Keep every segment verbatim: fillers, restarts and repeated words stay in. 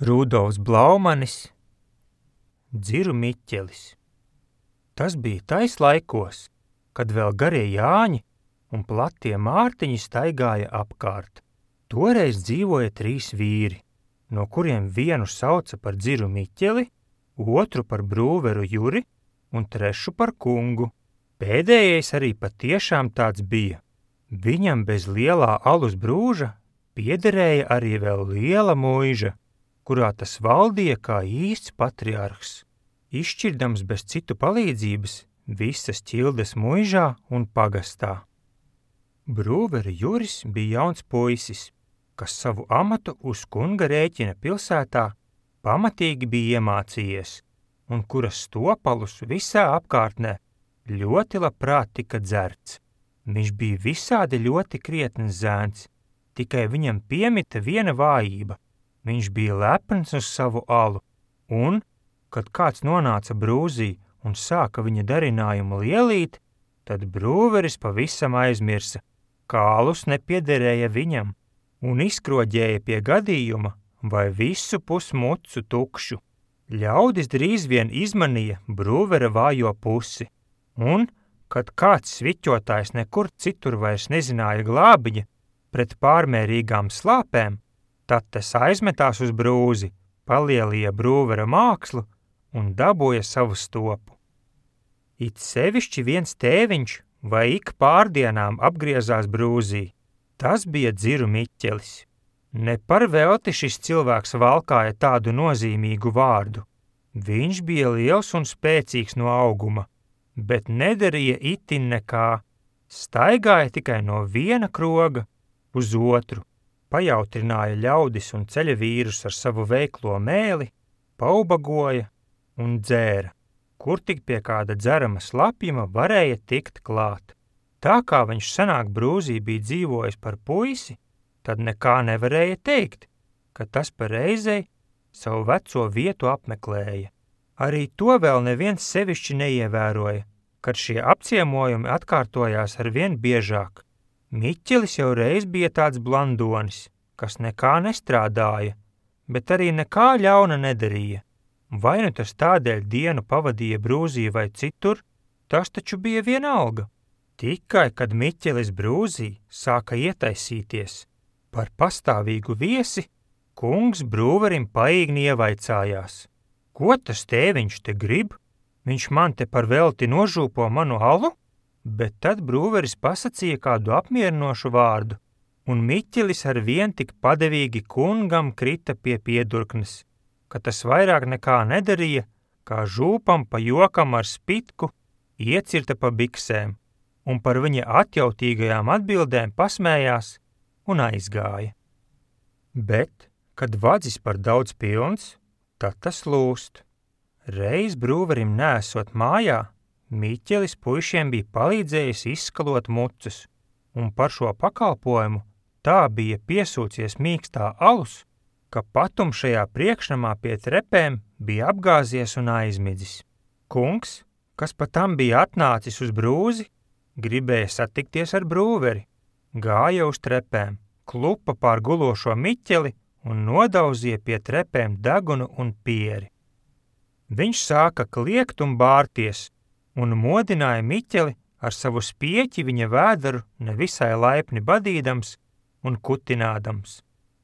Rudolfs Blaumanis, Dziru Miķelis. Tas bija tais laikos, kad vēl garie Jāņi un platie Mārtiņi staigāja apkārt. Toreiz dzīvoja trīs vīri, no kuriem vienu sauca par Dziru Miķeli, otru par Brūveru Juri un trešu par kungu. Pēdējais arī patiešām tāds bija. Viņam bez lielā alus brūža piederēja arī vēl liela muiža, kurā tas valdīja kā īsts patriarhs, izšķirdams bez citu palīdzības visas ķildes muižā un pagastā. Brūvera Juris bija jauns puisis, kas savu amatu uz kunga rēķina pilsētā pamatīgi bija iemācījies, un kuras stopalus visā apkārtnē ļoti labprāt tika dzerts. Viņš bija visādi ļoti krietns zēns, tikai viņam piemita viena vājība. Viņš bija lepns uz savu alu, un, kad kāds nonāca brūzī un sāka viņa darinājumu lielīt, tad brūveris pavisam aizmirsa, ka alus nepiederēja viņam, un izkroģēja pie gadījuma vai visu pusmucu tukšu. Ļaudis drīz vien izmanīja brūvera vājo pusi, un, kad kāds sviķotājs nekur citur vairs nezināja glābiņa pret pārmērīgām slāpēm, tad tas aizmetās uz brūzi, palielīja brūvera mākslu un dabūja savu stopu. It sevišķi viens tēviņš vai ik pārdienām apgriezās brūzī. Tas bija Dziru Miķelis. Ne par velti šis cilvēks valkāja tādu nozīmīgu vārdu. Viņš bija liels un spēcīgs no auguma, bet nedarīja itin nekā. Staigāja tikai no viena kroga uz otru. Pajautrināja ļaudis un ceļa vīrus ar savu veiklo mēli, paubagoja un dzēra, kur tik pie kāda dzerama slapjuma varēja tikt klāt. Tā kā viņš senāk brūzī bija dzīvojis par puisi, tad nekā nevarēja teikt, ka tas pa reizei savu veco vietu apmeklēja. Arī to vēl neviens sevišķi neievēroja, kad šie apciemojumi atkārtojās ar vien biežāk. Miķelis jau reiz bija tāds blandonis, kas nekā nestrādāja, bet arī nekā ļauna nedarīja. Vai nu tas tādēļ dienu pavadīja brūzī vai citur, tas taču bija vienalga. Tikai, kad Miķelis brūzī sāka ietaisīties par pastāvīgu viesi, kungs brūverim paīgni ievaicājās. Ko tas tēviņš te grib? Viņš man te par velti nožūpo manu alu? Bet tad brūveris pasacīja kādu apmierinošu vārdu, un Miķelis ar vien tik padevīgi kungam krita pie piedurknes, ka tas vairāk nekā nedarīja, kā žūpam pa jokam ar spitku iecirta pa biksēm, un par viņa atjautīgajām atbildēm pasmējās un aizgāja. Bet, kad vadzis par daudz pilns, tad tas lūst. Reiz brūverim neesot mājā, Miķelis puišiem bija palīdzējis izskalot mucas, un par šo pakalpojumu tā bija piesūcies mīkstā alus, ka patumšajā priekšnamā pie trepēm bija apgāzies un aizmidzis. Kungs, kas pa tam bija atnācis uz brūzi, gribēja satikties ar brūveri, gāja uz trepēm, klupa pār gulošo Miķeli un nodauzīja pie trepēm degunu un pieri. Viņš sāka kliegt un bārties, un modināja Miķeli ar savu spieķi viņa vēderu nevisai laipni badīdams un kutinādams.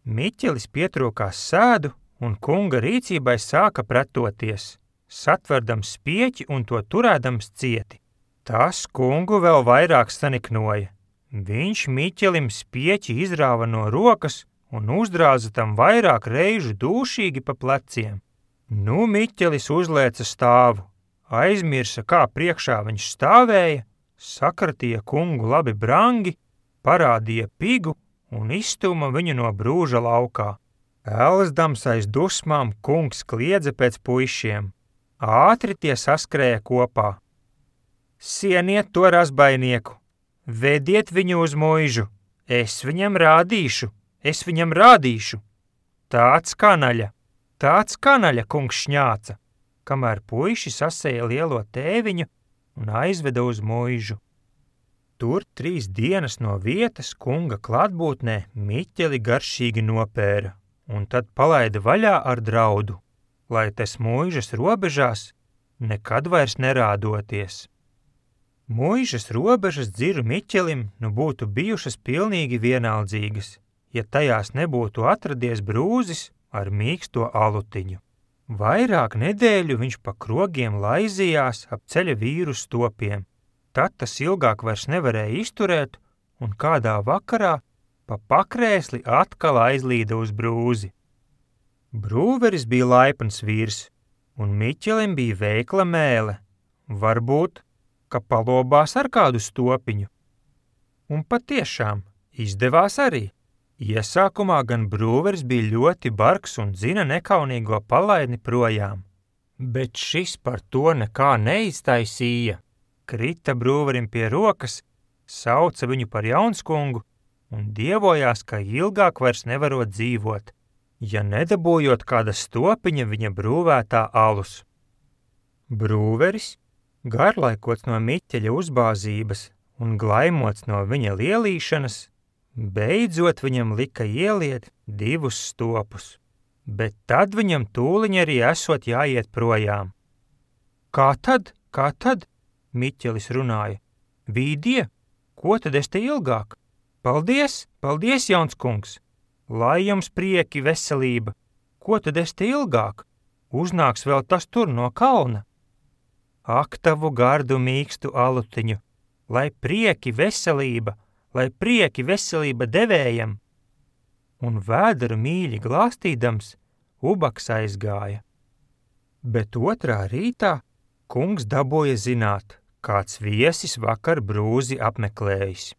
Miķelis pietrūkās sēdu, un kunga rīcībai sāka pretoties, satverdams spieķi un to turēdams cieti. Tas kungu vēl vairāk saniknoja. Viņš Miķelim spieķi izrāva no rokas un uzdrāza tam vairāk reižu dūšīgi pa pleciem. Nu Miķelis uzlēca stāvu, aizmirsa, kā priekšā viņš stāvēja, sakratīja kungu labi brangi, parādīja pigu un izstuma viņu no brūža laukā. Elzdams aiz dusmām kungs kliedza pēc puišiem. Ātri tie saskrēja kopā. Sieniet to razbainieku, vediet viņu uz muižu, es viņam rādīšu, es viņam rādīšu. Tāds kanaļa, tāds kanaļa, kungs šņāca, kamēr puiši sasēja lielo tēviņu un aizveda uz muižu. Tur trīs dienas no vietas kunga klātbūtnē Miķeli garšīgi nopēra un tad palaida vaļā ar draudu, lai tas muižas robežās nekad vairs nerādoties. Muižas robežas Dziru Miķelim nu būtu bijušas pilnīgi vienaldzīgas, ja tajās nebūtu atradies brūzis ar mīksto alutiņu. Vairāk nedēļu viņš pa krogiem laizījās ap ceļa vīru stopiem. Tad tas ilgāk vairs nevarēja izturēt, un kādā vakarā pa pakrēsli atkal aizlīda uz brūzi. Brūveris bija laipns vīrs, un Miķelim bija veikla mēle, varbūt, ka palobās ar kādu stopiņu. Un patiešām izdevās arī. Iesākumā gan brūveris bija ļoti bargs un dzina nekaunīgo palaidni projām, bet šis par to nekā neiztaisīja. Krita brūverim pie rokas, sauca viņu par jaunskungu un dievojās, ka ilgāk vairs nevarot dzīvot, ja nedabūjot kāda stopiņa viņa brūvētā alus. Brūveris, garlaikots no Miķeļa uzbāzības un glaimots no viņa lielīšanas, beidzot viņam lika ieliet divus stopus, bet tad viņam tūliņ arī esot jāiet projām. Kā tad, kā tad? Miķelis runāja. Vīdie, ko tad es te ilgāk? Paldies, paldies, jaunskungs! Lai jums prieki, veselība! Ko tad es te ilgāk? Uznāks vēl tas tur no kalna. Ak, tavu gardu mīkstu alutiņu, lai prieki, veselība, lai prieki, veselība devējam! Un vēderu mīļi glāstīdams, ubaks aizgāja. Bet otrā rītā kungs dabūja zināt, kāds viesis vakar brūzi apmeklējis.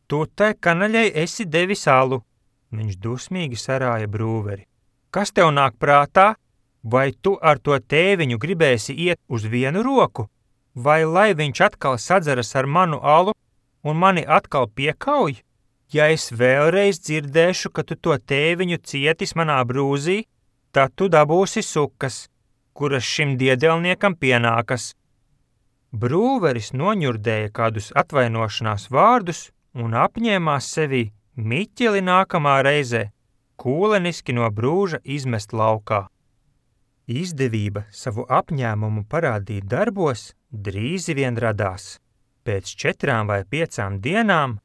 Tu te kanaļai esi devis alu, viņš dusmīgi sarāja brūveri. Kas tev nāk prātā? Vai tu ar to tēviņu gribēsi iet uz vienu roku? Vai lai viņš atkal sadzeras ar manu alu un mani atkal piekauj? Ja es vēlreiz dzirdēšu, ka tu to tēviņu cietis manā brūzī, tad tu dabūsi sukas, kuras šim diedelniekam pienākas. Brūveris noņurdēja kādus atvainošanās vārdus un apņēmās sevī Miķeli nākamā reizē kūleniski no brūža izmest laukā. Izdevība savu apņēmumu parādīt darbos drīzi vien radās. Pēc četrām vai piecām dienām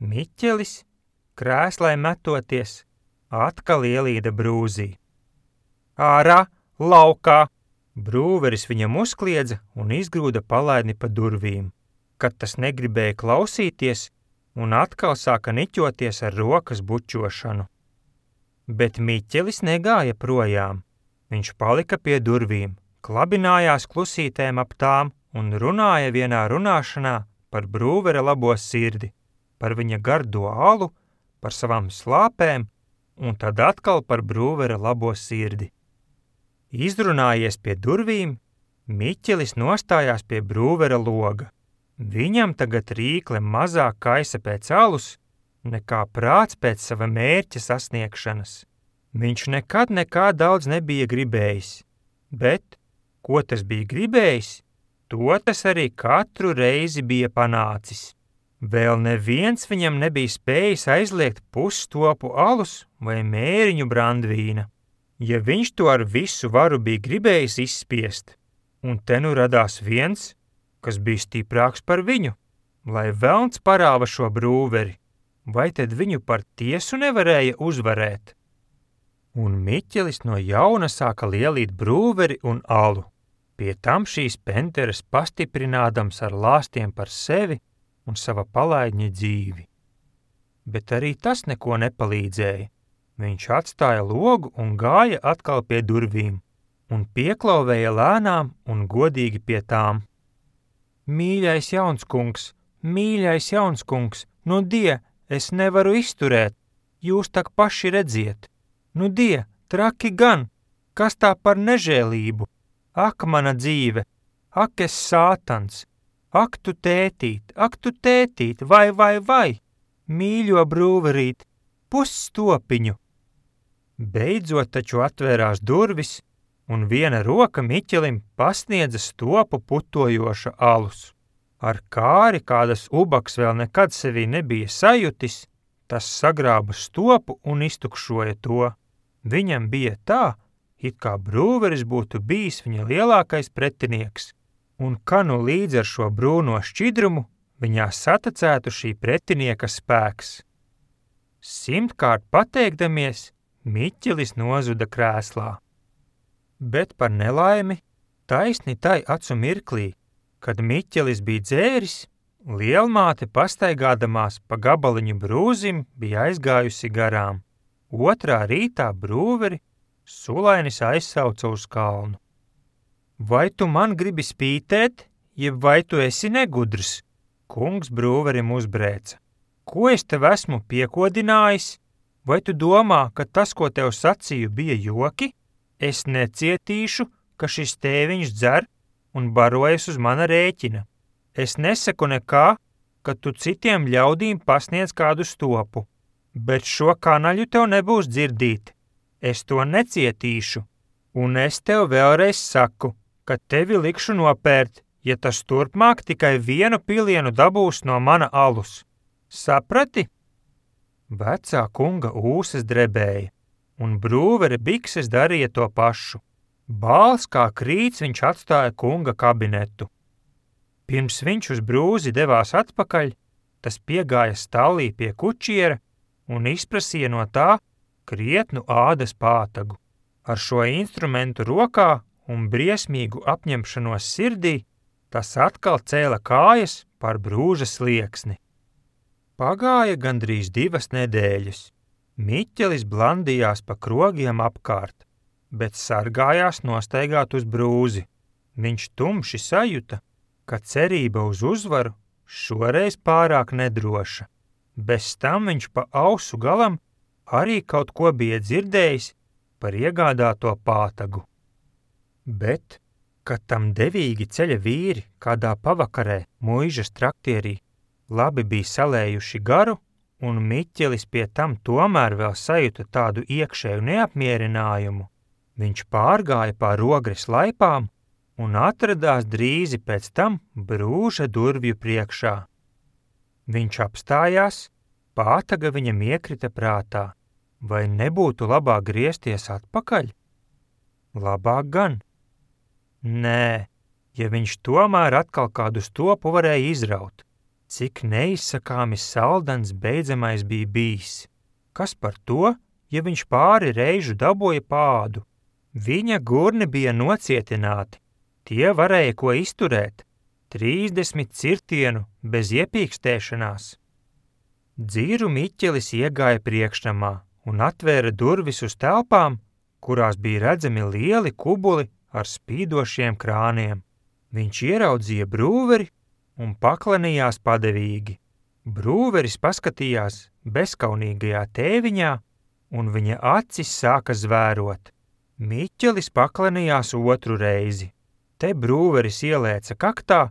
Miķelis, krēslai metoties, atkal ielīda brūzī. Ārā, laukā! Brūveris viņam uzkliedza un izgrūda palaidni pa durvīm, kad tas negribēja klausīties un atkal sāka niķoties ar rokas bučošanu. Bet Miķelis negāja projām. Viņš palika pie durvīm, klabinājās klusītēm ap tām un runāja vienā runāšanā par brūvera labo sirdi, par viņa gardo alu, par savām slāpēm un tad atkal par brūvera labo sirdi. Izrunājies pie durvīm, Miķelis nostājās pie brūvera loga. Viņam tagad rīkle mazāk kaisa pēc alus, nekā prāts pēc sava mērķa sasniegšanas. Viņš nekad nekā daudz nebija gribējis, bet, ko tas bija gribējis, to tas arī katru reizi bija panācis. Vēl neviens viņam nebija spējis aizliegt pusstopu alus vai mēriņu brandvīna. Ja viņš to ar visu varu bija gribējis izspiest, un te nu radās viens, kas bija stiprāks par viņu, lai velns parāva šo brūveri, vai tad viņu par tiesu nevarēja uzvarēt? Un Miķelis no jauna sāka lielīt brūveri un alu, pie tam šīs penteres pastiprinādams ar lāstiem par sevi un sava palaidņa dzīvi. Bet arī tas neko nepalīdzēja. Viņš atstāja logu un gāja atkal pie durvīm un pieklauvēja lēnām un godīgi pie tām. Mīļais jaunskungs, mīļais jaunskungs, nu die, es nevaru izturēt, jūs tak paši redziet. Nu die, traki gan, kas tā par nežēlību? Ak, mana dzīve, ak, es sātans, ak, tu tētīt, ak, tu tētīt, vai, vai, vai, mīļo brūverīt, pusstopiņu. Beidzot taču atvērās durvis, un viena roka Miķelim pasniedza stopu putojoša alus. Ar kāri, kādas ubaks vēl nekad sevī nebija sajutis, tas sagrāba stopu un iztukšoja to. Viņam bija tā, it kā brūveris būtu bijis viņa lielākais pretinieks, un ka nu līdz ar šo brūno šķidrumu viņā satacētu šī pretinieka spēks. Simtkārt pateikdamies, Miķelis nozuda krēslā. Bet par nelaimi, taisni tai acu mirklī, kad Miķelis bija dzēris, lielmāte pastaigādamās pa gabaliņu brūzim bija aizgājusi garām. Otrā rītā brūveri sulainis aizsauca uz kalnu. Vai tu man gribi spītēt, jeb vai tu esi negudrs? Kungs brūverim uzbrēca. Ko es tev esmu piekodinājis? Vai tu domā, ka tas, ko tev sacīju, bija joki? Es necietīšu, ka šis tēviņš dzer un barojas uz mana rēķina. Es nesaku nekā, ka tu citiem ļaudīm pasniedz kādu stopu, bet šo kanaļu tev nebūs dzirdīt. Es to necietīšu, un es tev vēlreiz saku, ka tevi likšu nopērt, ja tas turpmāk tikai vienu pilienu dabūs no mana alus. Saprati? Vecā kunga ūsas drebēja, un brūvere bikses darīja to pašu. Bāls kā krīts viņš atstāja kunga kabinetu. Pirms viņš uz brūzi devās atpakaļ, tas piegāja stallī pie kučiera un izprasīja no tā krietnu ādas pātagu. Ar šo instrumentu rokā un briesmīgu apņemšanos sirdī, tas atkal cēla kājas par brūža slieksni. Pagāja gandrīz divas nedēļas. Miķelis blandījās pa krogiem apkārt, bet sargājās nostaigāt uz brūzi. Viņš tumši sajuta, ka cerība uz uzvaru šoreiz pārāk nedroša. Bez tam viņš pa ausu galam arī kaut ko bija dzirdējis par iegādāto pātagu. Bet, kad tam devīgi ceļa vīri kādā pavakarē muižas traktierī labi bija salējuši garu, un Miķelis pie tam tomēr vēl sajuta tādu iekšēju neapmierinājumu, viņš pārgāja pār Rogres laipām un atradās drīzi pēc tam brūža durvju priekšā. Viņš apstājās, pātaga viņam iekrita prātā, vai nebūtu labāk griezties atpakaļ? Labāk gan. Nē, ja viņš tomēr atkal kādu stopu varēja izraut, cik neizsakāmi saldens beidzamais bija bijis. Kas par to, ja viņš pāri reižu dabūja pādu? Viņa gurni bija nocietināti, tie varēja ko izturēt, trīsdesmit cirtienu bez iepīkstēšanās. Dzīru Miķelis iegāja priekšnamā un atvēra durvis uz telpām, kurās bija redzami lieli kubuli ar spīdošiem krāniem. Viņš ieraudzīja brūveri un paklanījās padevīgi. Brūveris paskatījās bezkaunīgajā tēviņā, un viņa acis sāka zvērot. Miķelis paklanījās otru reizi. Te brūveris ielēca kaktā,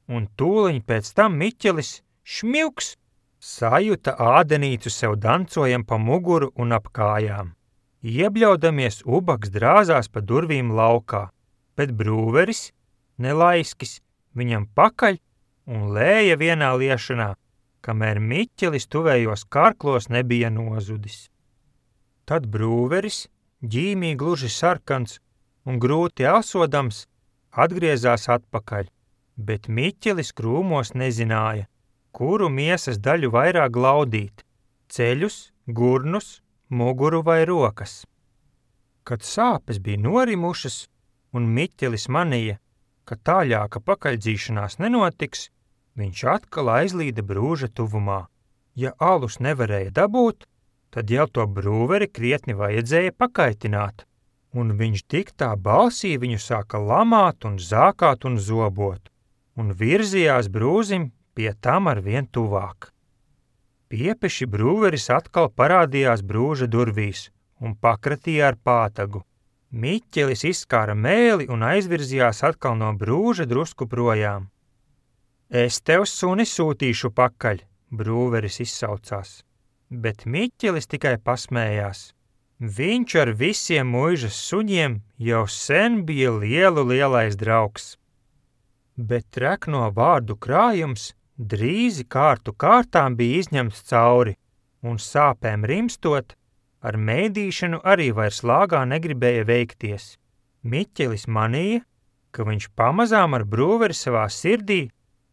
un tūliņ pēc tam Miķelis šmilks sajuta ādenīcu sev dancojam pa muguru un ap kājām. Iebļaudamies ubaks drāzās pa durvīm laukā, bet brūveris, nelaiskis, viņam pakaļ un lēja vienā liešanā, kamēr Miķelis tuvējos karklos nebija nozudis. Tad brūveris, ģīmī gluži sarkans un grūti elsodams, atgriezās atpakaļ, bet Miķelis krūmos nezināja, kuru miesas daļu vairāk glaudīt – ceļus, gurnus, muguru vai rokas. Kad sāpes bija norimušas un Miķelis manīja, ka tāļāka pakaļdzīšanās nenotiks, viņš atkal aizlīda brūža tuvumā. Ja alus nevarēja dabūt, tad jau to brūveri krietni vajadzēja pakaitināt, un viņš tik tā balsī viņu sāka lamāt un zākāt un zobot, un virzījās brūzim pie tam ar vien tuvāk. Piepeši brūveris atkal parādījās brūža durvīs un pakratīja ar pātagu. Miķelis izskāra mēli un aizvirzījās atkal no brūža drusku projām. Es tev suni sūtīšu pakaļ, brūveris izsaucās, bet Miķelis tikai pasmējās. Viņš ar visiem muižas suņiem jau sen bija lielu lielais draugs. Bet trekno vārdu krājums drīzi kārtu kārtām bija izņemts cauri, un sāpēm rimstot, ar mēdīšanu arī vairs lāgā negribēja veikties. Miķelis manīja, ka viņš pamazām ar brūveri savā sirdī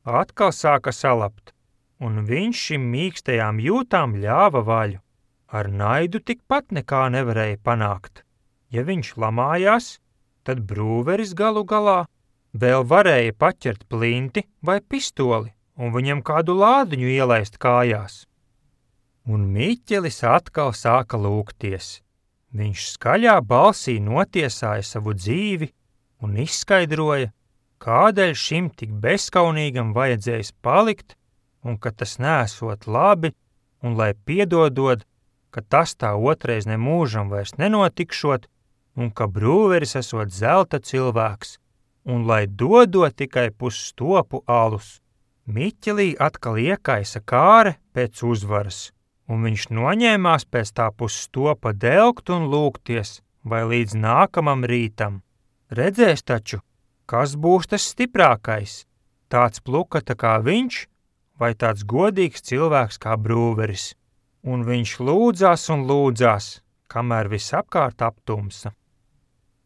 atkal sāka salapt, un viņš šim mīkstajām jūtām ļāva vaļu. Ar naidu tikpat nekā nevarēja panākt. Ja viņš lamājās, tad brūveris galu galā vēl varēja paķert plinti vai pistoli un viņam kādu lādiņu ielaist kājās. Un Miķelis atkal sāka lūgties. Viņš skaļā balsī notiesāja savu dzīvi un izskaidroja, kādēļ šim tik bezskaunīgam vajadzējis palikt un ka tas neesot labi un lai piedodod, ka tas tā otrais nemūžam vairs nenotikšot un ka brūveris esot zelta cilvēks un lai dodot tikai pusstopu alus. Miķelī atkal iekaisa kāre pēc uzvaras, un viņš noņēmās pēc tā pusstopa delgt un lūgties, vai līdz nākamam rītam. Redzēs taču, kas būs tas stiprākais, tāds plukata kā viņš, vai tāds godīgs cilvēks kā brūveris. Un viņš lūdzās un lūdzās, kamēr visapkārt aptumsa.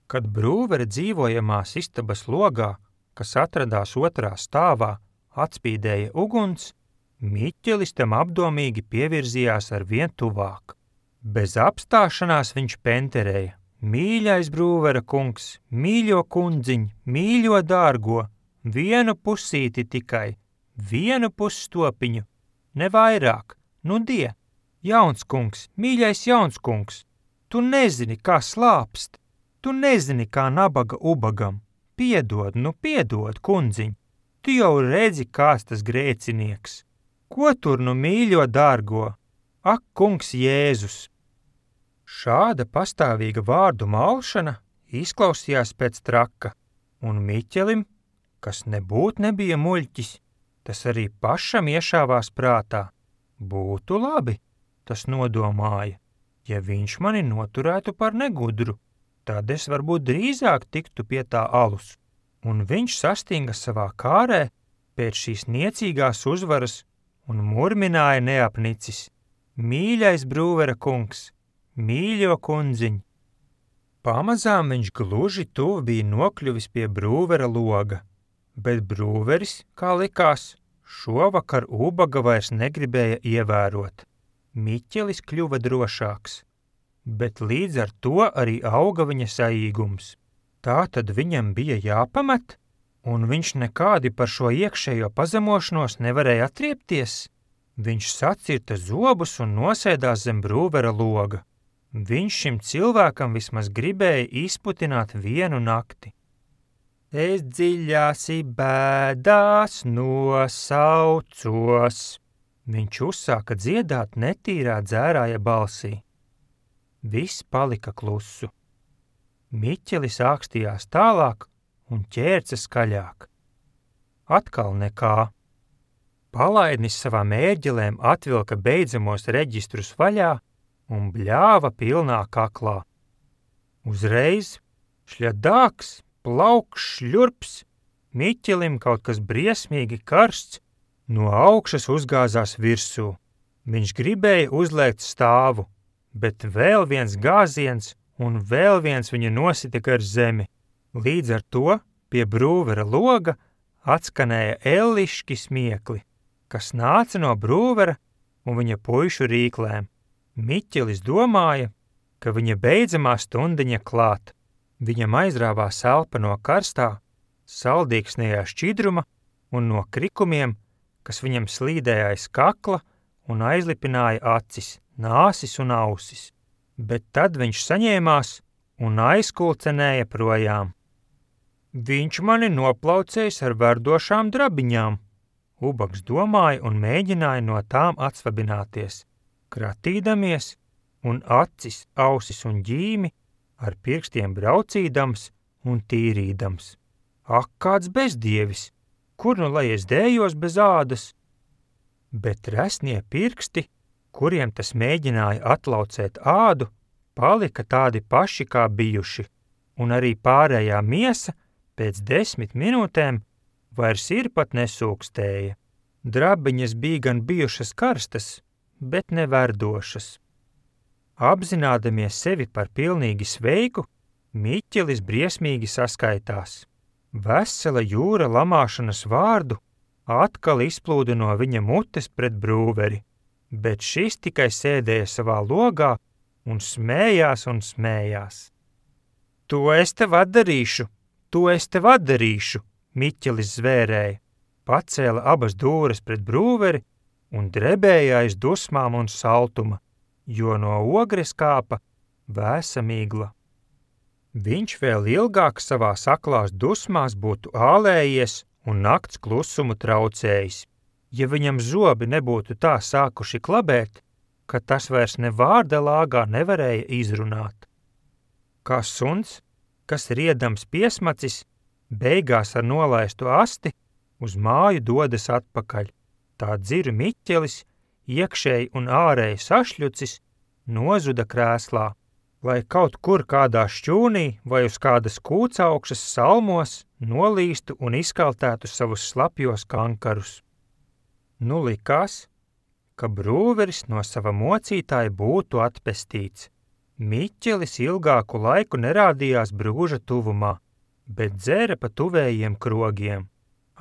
Kad brūvere dzīvojamās istabas logā, kas atradās otrā stāvā, atspīdēja uguns, Miķelis tam apdomīgi pievirzījās ar vien tuvāk. Bez apstāšanās viņš penterēja: mīļais brūvera kungs, mīļo kundziņ, mīļo dārgo, vienu pusīti tikai, vienu pusstopiņu, ne vairāk, nu die, jauns kungs, mīļais jauns kungs, tu nezini, kā slāpst, tu nezini, kā nabaga ubagam, piedod, nu piedod, kundziņ, tu jau redzi, kāds tas grēcinieks. Ko tur nu mīļo dārgo? Ak, kungs Jēzus! Šāda pastāvīga vārdu malšana izklausījās pēc traka, un Miķelim, kas nebūt nebija muļķis, tas arī pašam iešāvās prātā. Būtu labi, tas nodomāja, ja viņš mani noturētu par negudru, tad es varbūt drīzāk tiktu pie tā alus. Un viņš sastinga savā kārē pēc šīs niecīgās uzvaras un murmināja neapnicis: mīļais brūvera kungs, mīļo kundziņ. Pamazām viņš gluži tuvu bija nokļuvis pie brūvera loga, bet brūveris, kā likās, šovakar ubaga vairs negribēja ievērot. Miķelis kļuva drošāks, bet līdz ar to arī auga viņa saīgums. Tā tad viņam bija jāpamet, un viņš nekādi par šo iekšējo pazemošanos nevarēja atriepties. Viņš sacirta zobus un nosēdās zem brūvera loga. Viņš šim cilvēkam vismaz gribēja izputināt vienu nakti. Es dziļāsi bēdās nosaucos. Viņš uzsāka dziedāt netīrā dzērāja balsī. Viss palika klusu. Miķelis ākstījās tālāk un ķērca skaļāk. Atkal nekā. Palaidnis savām ērģelēm atvilka beidzamos reģistrus vaļā un bļāva pilnā kaklā. Uzreiz šļadāks, plaukš, šļurps, Miķelim kaut kas briesmīgi karsts no augšas uzgāzās virsū. Viņš gribēja uzliekt stāvu, bet vēl viens gāziens un vēl viens viņu nositika ar zemi. Līdz ar to pie brūvera loga atskanēja elliški smiekli, kas nāca no brūvera un viņa puišu rīklēm. Miķelis domāja, ka viņa beidzamā stundiņa klāt. Viņam aizrāvās elpa no karstā, saldīgsnējā šķidruma un no krikumiem, kas viņam slīdēja aiz kakla un aizlipināja acis, nāsis un ausis. Bet tad viņš saņēmās un aizkulcenēja projām. Viņš mani noplaucējis ar verdošām drabiņām, ubags domāja un mēģināja no tām atsvabināties, kratīdamies un acis, ausis un ģīmi ar pirkstiem braucīdams un tīrīdams. Ak, kāds bezdievis, kur nu lai es dējos bez ādas? Bet resnie pirksti, kuriem tas mēģināja atlaucēt ādu, palika tādi paši kā bijuši, un arī pārējā miesa pēc desmit minūtēm vairs ir pat nesūkstēja. Drabiņas bija gan bijušas karstas, bet neverdošas. Apzinādamies sevi par pilnīgi sveiku, Miķelis briesmīgi saskaitās. Vesela jūra lamāšanas vārdu atkal izplūda no viņa mutes pret Brūveri, bet šis tikai sēdēja savā logā un smējās un smējās. To es tev atdarīšu, to es tev atdarīšu, Miķelis zvērēja, pacēla abas dūres pret Brūveri un drebēja aiz dusmām un saltuma, jo no ogres kāpa vēsa migla. Viņš vēl ilgāk savā saklās dusmās būtu ālējies un nakts klusumu traucējis, ja viņam zobi nebūtu tā sākuši klabēt, ka tas vairs ne vārda lāgā nevarēja izrunāt. Kā suns, kas riedams piesmacis, beigās ar nolaistu asti uz māju dodas atpakaļ, tā dziru Miķelis, iekšēji un ārēji sašļucis, nozuda krēslā, lai kaut kur kādā šķūnī vai uz kādas kūcaukšas salmos nolīstu un izkaltētu savus slapjos kankarus. Nu likās, ka Brūveris no sava mocītāja būtu atpestīts. Miķelis ilgāku laiku nerādījās Brūža tuvumā, bet dzēra pa tuvējiem krogiem.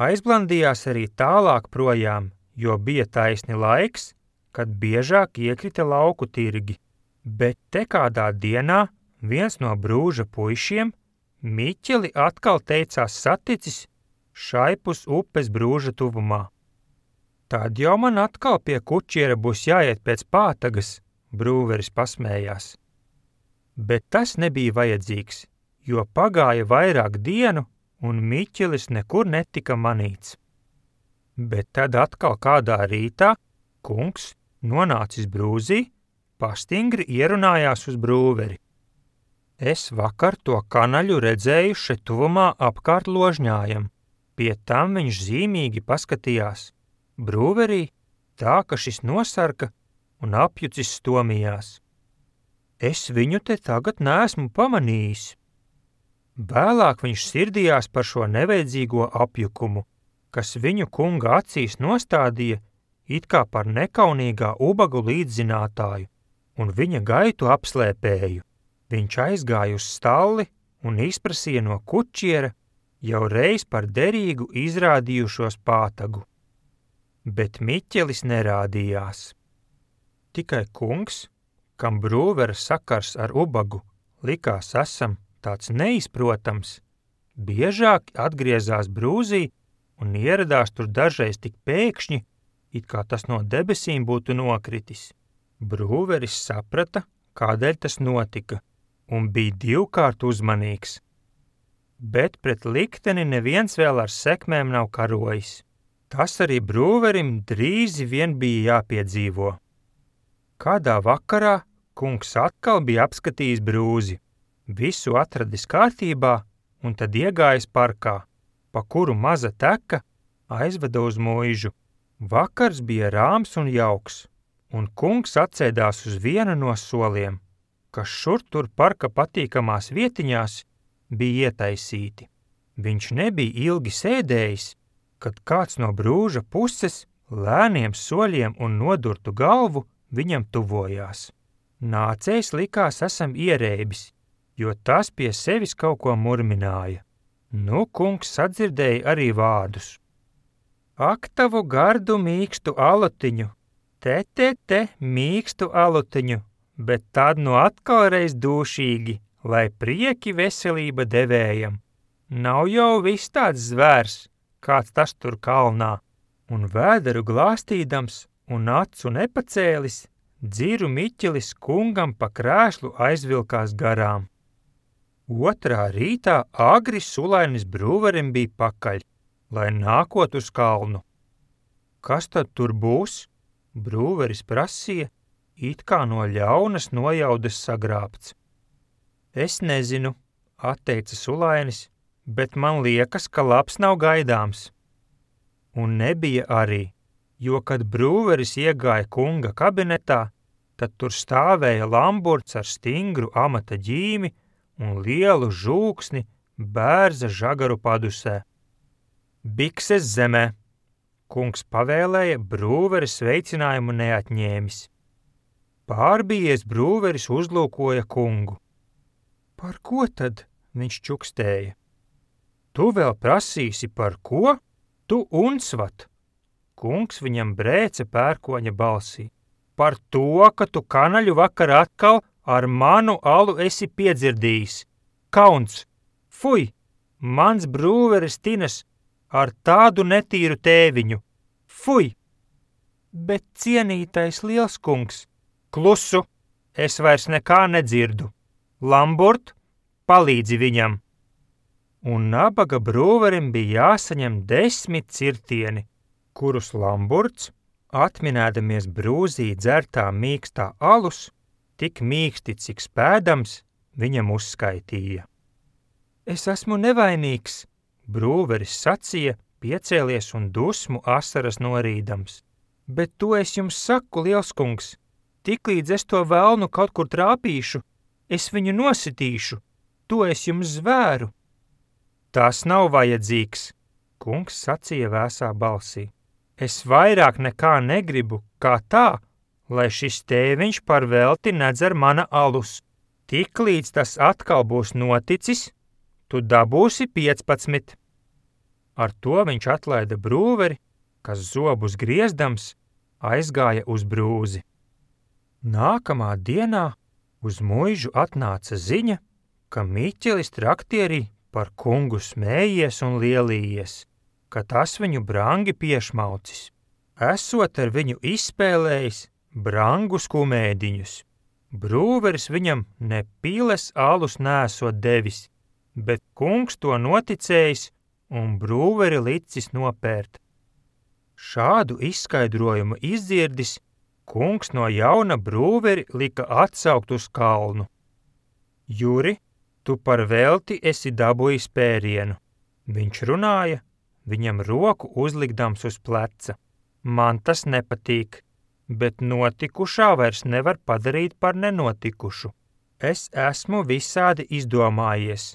Aizblandījās arī tālāk projām, jo bija taisni laiks, kad biežāk iekrita lauku tirgi. Bet te kādā dienā viens no Brūža puišiem Miķeli atkal teicās saticis šaipus upes Brūža tuvumā. Tad jau man atkal pie kučiera būs jāiet pēc pātagas, Brūveris pasmējās. Bet tas nebija vajadzīgs, jo pagāja vairāk dienu un Miķelis nekur netika manīts. Bet tad atkal kādā rītā kungs, nonācis Brūzī, pastingri ierunājās uz Brūveri. Es vakar to kanaļu redzēju šeit tuvumā apkārt ložņājam. Pie tam viņš zīmīgi paskatījās Brūverī, tā ka šis nosarka un apjucis stomījās. Es viņu te tagad neesmu pamanījis. Vēlāk viņš sirdījās par šo nevajadzīgo apjukumu, kas viņu kunga acīs nostādīja it kā par nekaunīgā ubagu līdzzinātāju un viņa gaitu apslēpēju. Viņš aizgāja uz stalli un izprasīja no kučiera jau reiz par derīgu izrādījušos pātagu. Bet Miķelis nerādījās. Tikai kungs, kam Brūvera sakars ar ubagu likās esam tāds neizprotams, biežāk atgriezās Brūzī un ieradās tur dažreiz tik pēkšņi, it kā tas no debesīm būtu nokritis. Brūveris saprata, kādēļ tas notika, un bija divkārt uzmanīgs. Bet pret likteni neviens vēl ar sekmēm nav karojis. Tas arī Brūverim drīzi vien bija jāpiedzīvo. Kādā vakarā kungs atkal bija apskatījis Brūzi, visu atradis kārtībā un tad iegājis parkā, pa kuru maza teka aizveda uz muižu. Vakars bija rāms un jauks, un kungs atsēdās uz vienu no soliem, kas šur tur parka patīkamās vietiņās bija ietaisīti. Viņš nebija ilgi sēdējis, kad kāds no Brūža puses lēniem soļiem un nodurtu galvu viņam tuvojās. Nācējs likās esam ierēbis, jo tas pie sevis kaut ko murmināja. Nu, kungs sadzirdēja arī vārdus. Ak, tavu gardu mīkstu alutiņu, te, te, te mīkstu alutiņu, bet tad nu atkal reiz dūšīgi, lai prieki veselība devējam. Nav jau viss tāds zvērs, kāds tas tur kalnā, un vēderu glāstīdams un acu nepacēlis, dziru Miķelis kungam pa krēslu aizvilkās garām. Otrā rītā agri sulainis Brūverim bija pakaļ, lai nākot uz kalnu. Kas tad tur būs? Brūveris prasīja, it kā no ļaunas nojaudas sagrābts. Es nezinu, atteica sulainis, bet man liekas, ka labs nav gaidāms. Un nebija arī, jo, kad Brūveris iegāja kunga kabinetā, tad tur stāvēja lamburts ar stingru amata ģīmi un lielu žūksni bērza žagaru padusē. Bikses zemē, kungs pavēlēja, Brūveris sveicinājumu neatņēmis. Pārbijies brūveris uzlūkoja kungu. Par ko tad? Viņš čukstēja. Tu vēl prasīsi par ko? Tu unsvat. Kungs viņam brēca pērkoņa balsī. Par to, ka tu kanaļu vakar atkal ar manu alu esi piedzirdījis. Kauns! Fuj! Mans brūveris Tinas ar tādu netīru tēviņu. Fuj! Bet cienītais liels kungs, klusu, es vairs nekā nedzirdu. Lamburt, palīdzi viņam. Un nabaga brūverim bija jāsaņem desmit cirtieni, kurus Lamburts, atminēdamies brūzī dzertā mīkstā alus, tik mīksti, cik spēdams, viņam uzskaitīja. Es esmu nevainīgs, brūveris sacīja, piecēlies un dusmu asaras norīdams. Bet to es jums saku, liels kungs, tiklīdz es to velnu kaut kur trāpīšu, es viņu nositīšu, to es jums zvēru. Tas nav vajadzīgs, kungs sacīja vēsā balsī. Es vairāk nekā negribu, kā tā, lai šis tēviņš par velti nedzer mana alus. Tiklīdz tas atkal būs noticis, tu dabūsi piecpadsmit. Ar to viņš atlaida brūveri, kas zobus griezdams, aizgāja uz brūzi. Nākamā dienā uz muižu atnāca ziņa, ka Miķelis traktierī par kungu smējies un lielījies, ka tas viņu brangi piešmaucis, esot ar viņu izspēlējis brangus kumēdiņus. Brūveris viņam ne piles alus nesot devis, bet kungs to noticējis un brūveri licis nopērt. Šādu izskaidrojumu izdzirdis, kungs no jauna brūveri lika atsaukt uz kalnu. Juri, tu par velti esi dabūjis pērienu. Viņš runāja, viņam roku uzlikdams uz pleca. Man tas nepatīk, bet notikušā vairs nevar padarīt par nenotikušu. Es esmu visādi izdomājies,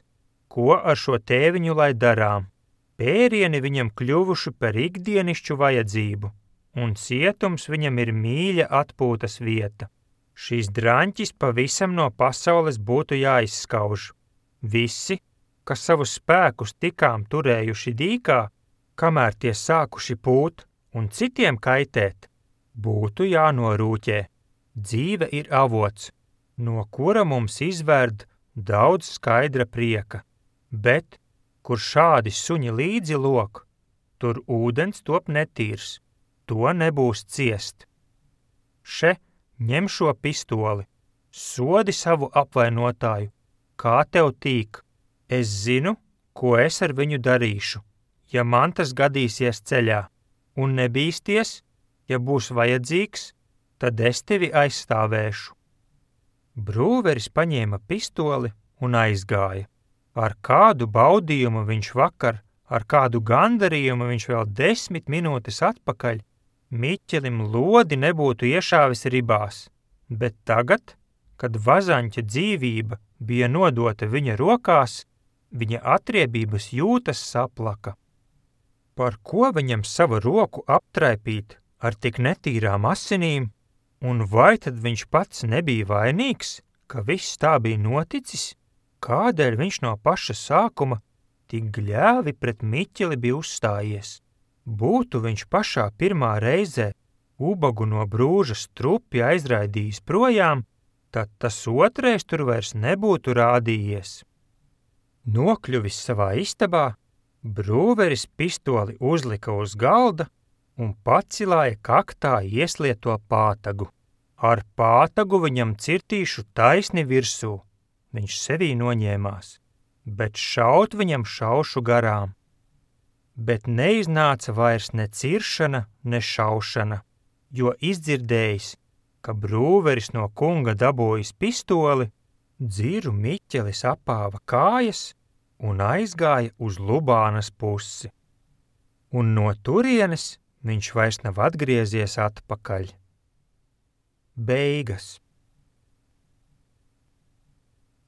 ko ar šo tēviņu lai darām. Pērieni viņam kļuvuši par ikdienišķu vajadzību, un cietums viņam ir mīļa atpūtas vieta. Šīs draņķis pavisam no pasaules būtu jāizskauž. Visi, kas savus spēkus tikām turējuši dīkā, kamēr tie sākuši pūt un citiem kaitēt, būtu jānorūķē. Dzīve ir avots, no kura mums izverd daudz skaidra prieka, bet, kur šādi suņi līdzi lok, tur ūdens top netīrs, to nebūs ciest. Še, ņem šo pistoli, sodi savu apvainotāju, kā tev tīk. Es zinu, ko es ar viņu darīšu, ja man tas gadīsies ceļā, un nebīsties, ja būs vajadzīgs, tad es tevi aizstāvēšu. Brūveris paņēma pistoli un aizgāja. Ar kādu baudījumu viņš vakar, ar kādu gandarījumu viņš vēl desmit minūtes atpakaļ, Miķelim lodi nebūtu iešāvis ribās, bet tagad, kad vazaņķa dzīvība bija nodota viņa rokās, viņa atriebības jūtas saplaka. Par ko viņam savu roku aptraipīt ar tik netīrām asinīm, un vai tad viņš pats nebija vainīgs, ka viss tā bija noticis? Kādēļ viņš no paša sākuma tik gļēvi pret Miķeli bija uzstājies? Būtu viņš pašā pirmā reizē ubagu no brūža strupi aizraidījis projām, tad tas otrais tur vairs nebūtu rādījies. Nokļuvis savā istabā, brūveris pistoli uzlika uz galda un pacilāja kaktā ieslieto pātagu. Ar pātagu viņam cirtīšu taisni virsū. Viņš sevī noņēmās, bet šaut viņam šaušu garām. Bet neiznāca vairs ne ciršana, ne šaušana, jo izdzirdējis, ka brūveris no kunga dabūjis pistoli, dziru Miķelis apāva kājas un aizgāja uz Lubānas pusi. Un no turienes viņš vairs nav atgriezies atpakaļ. Beigas.